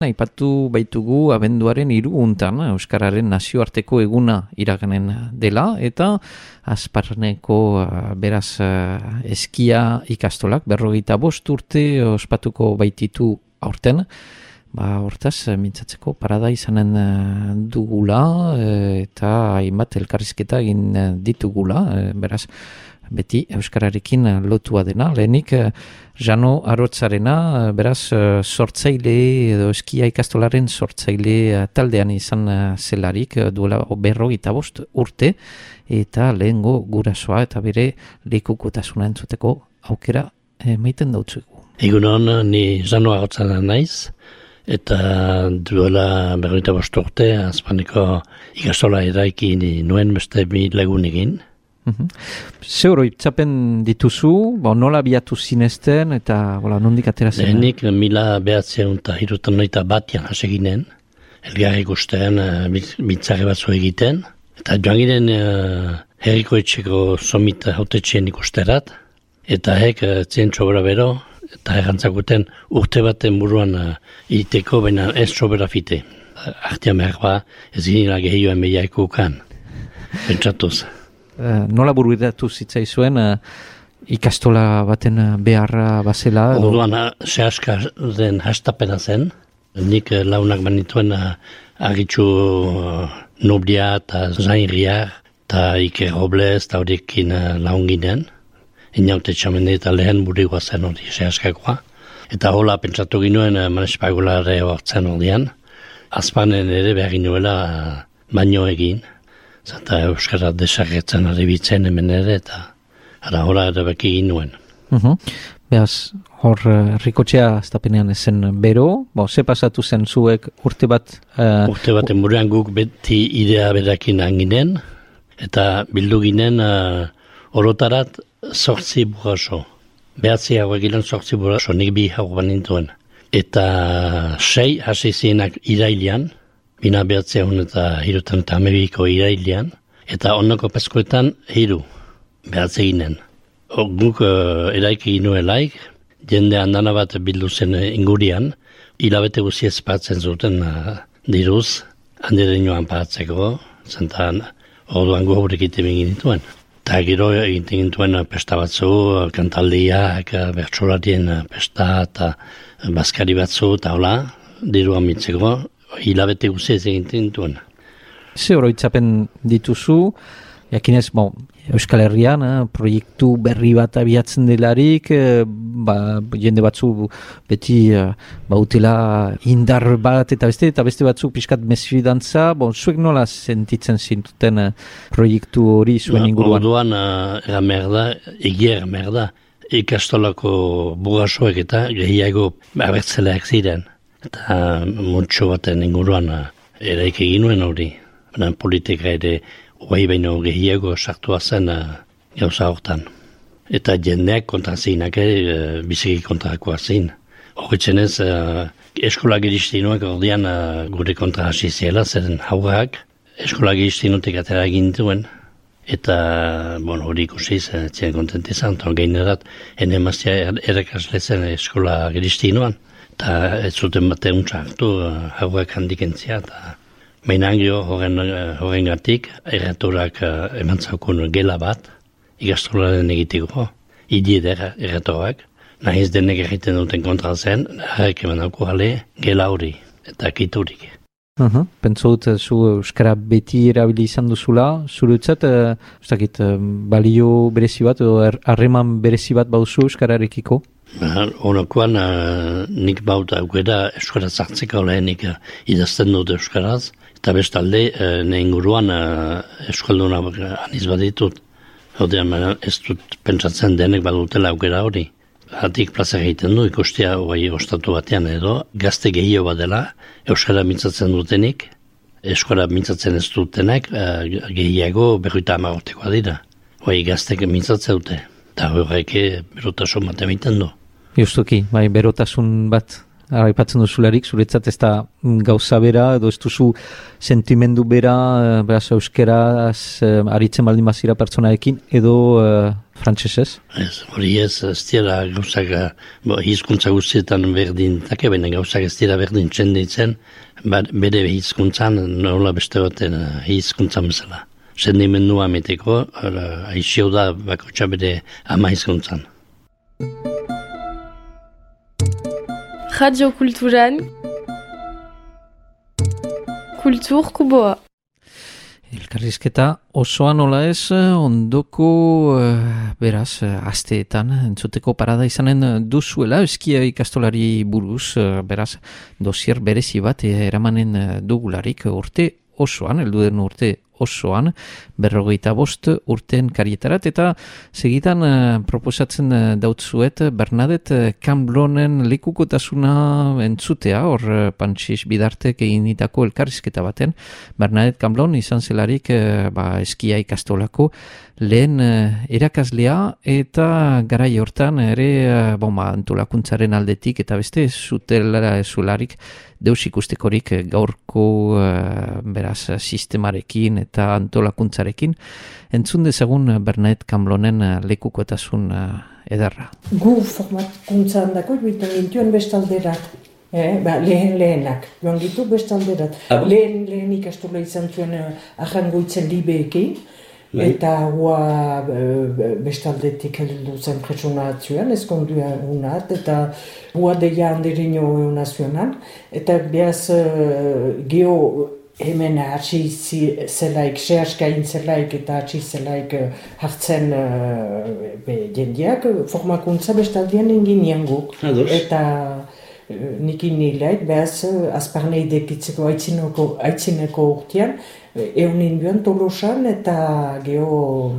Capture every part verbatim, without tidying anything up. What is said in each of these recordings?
Aipatu baitugu abenduaren hiruuntan Euskararen nazioarteko eguna iraganen dela eta Azparneko beraz eskia ikastolak berrogeita bost urte ospatuko baititu aurten. Ba, hortaz, mintzatzeko parada izanen dugula eta hainbat elkarrizketa egin ditugula, beraz, beti Euskararekin lotua dena. Lehenik, Jano Arotzarena, beraz, sortzaile edo eskia ikastolaren sortzaile taldean izan zelarik, duela berrogeita bost urte, eta lehengo gurasoa eta bere lekukotasuna entzuteko aukera maiten dautzugu. Egunon, ni Jano Arotzarena naiz, eta duela berrogeita bost urte, Azparneko ikastola eraiki nuen beste bi lagun egin. Ze oroitzapen dituzu, ba, nola biatu zinezten eta bola, nondik atera zen? Lehenik mila behatzen eta hirutan noita batian haseginen, elgarri ikusten bitzarri batzu egiten, eta joan ginen uh, herriko etxeko somit hautetxeen ikusterat, eta hek uh, zien txobera bero, eta errantzakuten urte baten buruan uh, iteko, baina ez txobera fite. Artean behar ba, ez ginela gehioen behiaiko ukan, pentsatuz. Uh, nola bururatu zitzaizuen uh, ikastola baten uh, beharra bazela? Orduan, sehaska den hastapena zen. Nik uh, launak banituen uh, agitxu uh, Noblia eta Zainriar eta Iker Robles eta horiekin uh, laun ginen. Inaute txamende eta lehen burigua zen hori sehaskakoa. Eta hola pentsatu ginuen uh, manespagulare hortzen hordian. Azpanen ere behar ginuela uh, baino egin. Zata Euskara desagertzen arribitzen hemen ere, eta ara hola erabaki ginuen. Uh-huh. Beaz, hor rikotxea aztapenean ezen bero, bo, ze pasatu zen zuek urte bat? Uh, urte baten buruan guk beti idea berakin anginen, eta bildu ginen uh, orotarat sortzi buraso. Behatzi hauek gilen sortzi buraso, nik bi hau banintuen. Eta sei hasi zienak irailian, Bina behatzea hon eta hirutan eta amebiko irailean, eta onnoko peskoetan hiru behatze ginen. Guk uh, eraiki ginuelaik, jende handana bat bildu zen ingurian, hilabete guziez patzen zuten uh, diruz, handire nioan patzeko, zentan orduan gu haurek egiten ginituen. Eta gero egiten gintuen pesta batzu, kantaldiak, bertsolarien pesta eta baskari batzu, eta hola, diruan mitzeko, hilabete guziez egiten duen. Ze oroitzapen dituzu, jakinez, bon, Euskal Herrian, eh, proiektu berri bat abiatzen delarik, eh, ba, jende batzu beti eh, bautela indar bat eta beste, eta beste batzu pixkat mesfidantza, bon, zuek nola sentitzen zintuten eh, proiektu hori zuen inguruan? Orduan, uh, era merda, egia merda, ikastolako burasoek eta gehiago abertzeleak ziren. Eta mutxo baten inguruan eraik egin nuen hori. Baina politika ere guai baino gehiago sartua zen uh, gauza hortan. Eta jendeak kontra zinak ere, biziki kontrakoa zin. Horretzen ez, uh, eskola giristinoak ordean uh, gure kontra hasi ziela, zeren haurrak eskola giristinotek atera egin duen. Eta, bon, hori ikusiz, ziren kontentizan, gainerat, ene mazia erakasle zen eskola giristinoan. Eta ez zuten bate untxartu, hauak handikentzia, eta mainangio horren, horren gatik, erratorak eman zaukun gela bat, ikastolaren egiteko, idieder erratorak, nahiz denek egiten duten kontra zen, harrek eman dauko jale gela hori, eta kiturik. Uh-huh. Pentsu dut, zu Euskara beti erabili izan duzula, zure utzat, uh, ustakit, uh, balio berezi bat, edo harreman berezi bat bauzu Euskararekiko? Honokoan, uh, nik bauta aukera Euskara zartzeko lehenik uh, idazten dut Euskaraz, eta bestalde, uh, ne inguruan uh, Euskalduna aniz baditut. Hodean, ez dut pentsatzen denek badutela aukera hori. Hatik plaza egiten du, ikustia guai ostatu batean edo, gazte gehiago badela, Euskara mintzatzen dutenik, Euskara mintzatzen ez dutenek, uh, gehiago berroita hamagortekoa dira. Guai gaztek mintzatzen dute, eta horreke berotasun bat emiten du. Justuki, bai, berotasun bat aipatzen duzularik, zuretzat ez da gauza bera, edo ez duzu sentimendu bera, beraz euskeraz aritzen baldin bazira pertsonaekin, edo uh, frantsesez? Ez, hori ez, ez dira gauzak, bo, hizkuntza guztietan berdin, take bene gauzak ez dira berdin txenditzen, bere hizkuntzan nola beste baten hizkuntza bezala. Sendimendua ameteko, aixio da bakotxa bere ama hizkuntzan. Radio Kulturan Kultur Kuboa. Elkarrizketa osoa nola ez, ondoko beraz, asteetan entzuteko parada izanen duzuela, eskia ikastolari buruz, beraz, dosier berezi bat eramanen dugularik urte osoan, heldu den urte osoan, berrogeita bost urten karietarat, eta segitan uh, proposatzen uh, dautzuet Bernadette Camblonen lekukotasuna entzutea, hor uh, Pantxis Bidartek eginitako elkarrizketa baten. Bernadette Camblon izan zelarik uh, ba, eskia ikastolako lehen uh, erakaslea, eta garai hortan ere uh, bon, ba, antolakuntzaren aldetik, eta beste zutela zularik deus ikustekorik gaurko uh, beraz sistemarekin eta antolakuntzarekin. Entzun dezagun Bernadette Camblonen uh, lekukotasun uh, ederra. Gu formakuntzan dako joiten gintuen bestalderat. Eh, ba, lehen lehenak, joan gitu bestalderat. Ah, lehen, lehen ikastola izan zuen uh, ahangoitzen libeekin. Eta hua bestaldetik heldu zen presuna atzuen, ezkondua unat, eta hua deia handirino nazionan. Eta behaz geho hemen hatsi zelaik, sehaskain zelaik eta hatsi zelaik hartzen be, jendeak, formakuntza bestaldean engin guk. Eta nikin nilaik, behaz azparnei dekitzeko aitzineko, aitzineko urtean, eunin duan Tolosan eta geho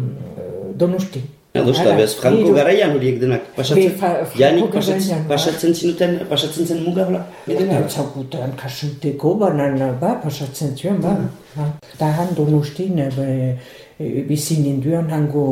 Donosti. Adosta, behaz, Franko garaian horiek denak pasatzen, janik pasatzen, pasatzen zinuten, pasatzen zen mugabla? Eta zaukutan kasuteko, banan, ba, pasatzen zuen, ba. Eta han Donostin, bizinen duan hango,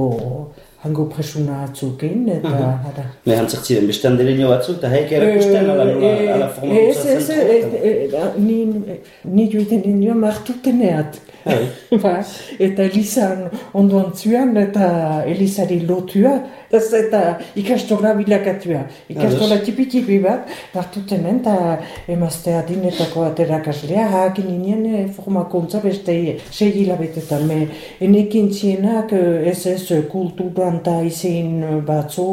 hango presuna atzuken, eta hara. Me hantzak ziren, beste handereño batzuk, eta haik erakusten ala nola, ala formakuntza zentrota? Ni joiten nioan martuteneat. Eta Elizan ondoan zuan, eta Elizari lotua, eta ikastola bilakatua. Ikastola tipi-tipi bat, martutenen, eta emaztea dinetako aterakaslea, hakin ninen formakuntza beste sei hilabetetan. Me enekin zienak ez ez kulturan eta izin batzu,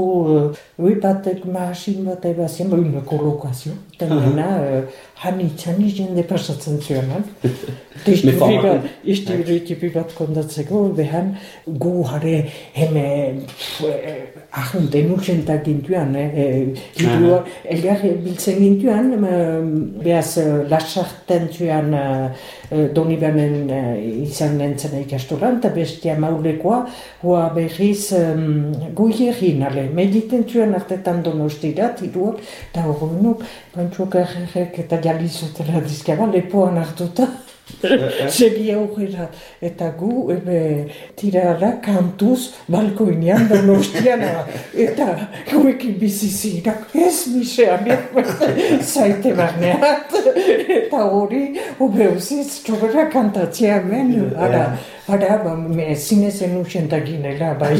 ui batek masin bat ebazien, une kolokazio. Eta nena, hanitxan jende pasatzen zuenan. Izti bat kondatzeko, behan gu jare heme ahun denutxentak gintuan, elgar biltzen gintuan, behaz lasarten zuan Donibanen izan nintzen ikastolan, eta bestia maulekoa, hoa behiz goierin, ale, mediten zuan artetan Donostirat, iruak, eta horrenuk, bantzuak arrek eta jalizotela dizkaba, lepoan hartuta. Segi aurrera, eta gu ebe tirara kantuz balkoinean Donostiana, eta guekin bizizirak, ez misean, zaite barneat, eta hori, obeuziz, txobera kantatzea hemen, ara, ara, ba, zinezen usentak ginela, bai.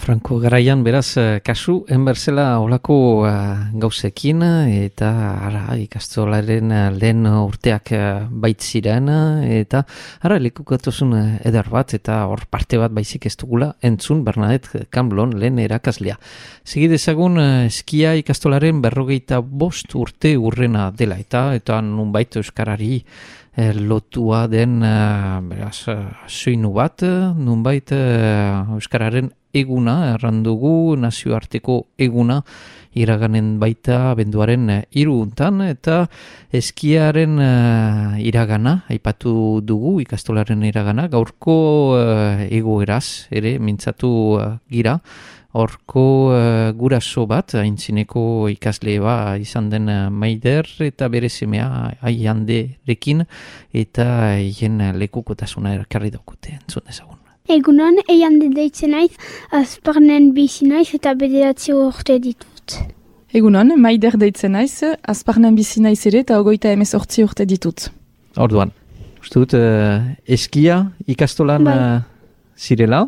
Franko garaian beraz kasu enberzela olako uh, gauzekin eta ara, ikastolaren uh, lehen urteak uh, baitziren eta ara lekukatosun eder bat eta hor parte bat baizik ez dugula entzun Bernadette Camblon lehen erakaslea. Segidezagun uh, eskia ikastolaren berrogeita bost urte urrena dela eta eta nunbait euskarari Eh, lotua den uh, beraz, uh, soinu bat, nunbait uh, euskararen eguna, errandugu nazioarteko eguna iraganen baita benduaren uh, hiruuntan eta eskiaren uh, iragana, aipatu dugu ikastolaren iragana, gaurko uh, egoeraz ere mintzatu uh, gira, horko uh, guraso bat, aintzineko ikasle ba izan den uh, Maider eta bere semea Aianderekin eta hien lekukotasuna erkarri daukute, entzun dezagun. Egunon, Aiande deitzen naiz, azparnen bizi naiz eta bederatzi urte ditut. Egunon, Maider deitzen naiz, Azparnen bizi naiz ere eta hogeita hemezortzi urte ditut. Orduan, uste dut, uh, eskia ikastolan uh, zirela?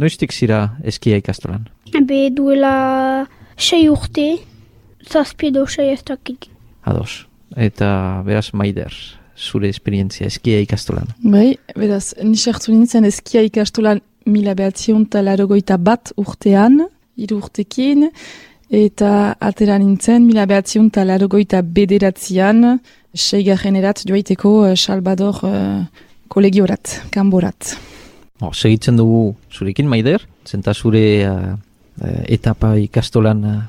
Noiztik zira eskia ikastolan? Be duela sei urte, zazpi edo sei ez dakit. Ados. Eta beraz Maider, zure esperientzia eskia ikastolan? Bai, beraz, nisartu nintzen eskia ikastolan mila behatzion talarogoita bat urtean, hiru urtekin, eta atera nintzen mila behatzion talarogoita bederatzean, seigarren erat joaiteko Salvador uh, kolegiorat, kanborat. Oh, segitzen dugu zurekin, Maider, zenta zure uh, etapa ikastolan uh,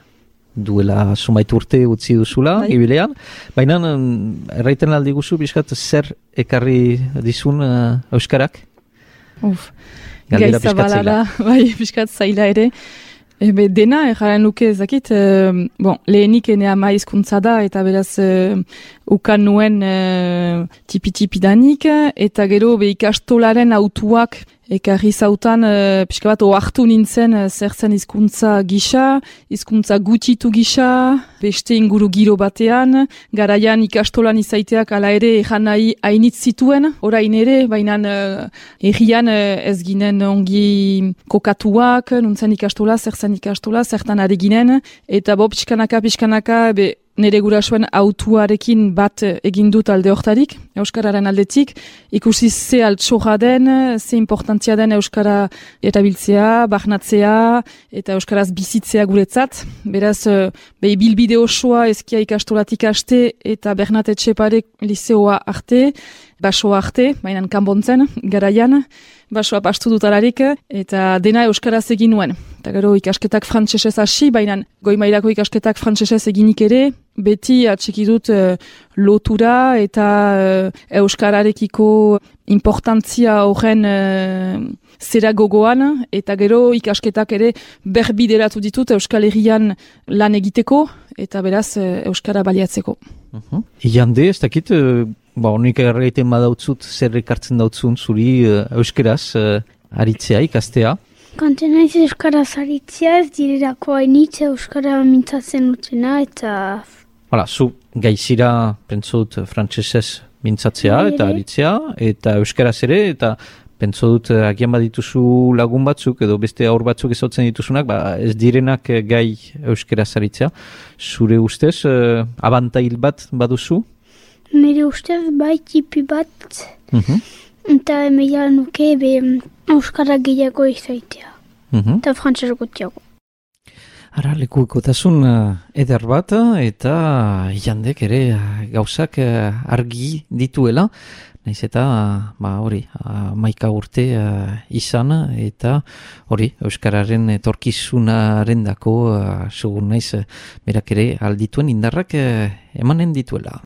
duela zumait urte utzi duzula, bai. Ibilean. Baina, um, erraiten aldi guzu, bizkat, zer ekarri dizun uh, euskarak? Uf, gaiza balara, bai, bizkat zaila ere. Ebe, dena, erraren luke ezakit, uh, bon, lehenik ene ama hizkuntza da, eta beraz, uh, ukan nuen uh, tipi-tipi danik, eta gero be ikastolaren autuak ekarri zautan, uh, pixka bat, oartu nintzen uh, zer zen hizkuntza gisa, hizkuntza gutitu gisa, beste inguru giro batean, garaian ikastolan izaiteak ala ere ejan nahi hainitz zituen, orain ere, baina uh, errian uh, ez ginen ongi kokatuak, nuntzen ikastola, zer zen ikastola, zertan ari ginen, eta bo, pixkanaka, pixkanaka, be, nire gurasoen autuarekin bat egin dut alde hortarik, Euskararen aldetik, ikusi ze altxorra den, ze importantzia den Euskara erabiltzea, bahnatzea, eta Euskaraz bizitzea guretzat. Beraz, behi bilbide osoa eskia ikastolatik aste, eta Bernat Etxepare liceoa arte, basoa arte, mainan kanbontzen, garaian, basoa pastu dutalarik, eta dena Euskaraz egin nuen. Eta gero ikasketak frantsesez hasi, baina goi mailako ikasketak frantsesez eginik ere, beti atxiki dut uh, lotura eta uh, Euskararekiko importantzia horren uh, zera gogoan, eta gero ikasketak ere berbideratu ditut Euskal Herrian lan egiteko, eta beraz uh, Euskara baliatzeko. Uh-huh. Iande, ez dakit, uh, ba, honik erraiten badautzut, zer ekartzen dautzun zuri uh, Euskaraz uh, aritzea, ikastea? Kanten naiz Euskaraz aritzea, ez direrako hainitz Euskara mintzatzen utena, eta... Hala, zu gaizira, pentsot, frantsesez mintzatzea eta aritzea, eta Euskaraz ere, eta pentsot, agian badituzu lagun batzuk, edo beste aur batzuk ezotzen dituzunak, ba, ez direnak gai Euskaraz aritzea. Zure ustez, uh, abantail bat baduzu? Nire ustez, bai tipi bat, uh-huh. Eta emeia nuke be Euskara gehiago izaitea, uh-huh. Eta frantses gutiago. Ara, lekuekotasun uh, eder bat, eta jandek ere uh, gauzak uh, argi dituela, naiz eta ba, hori, uh, maika urte uh, izan, eta hori, Euskararen etorkizunaren dako, uh, segun naiz, uh, berak ere aldituen indarrak uh, emanen dituela.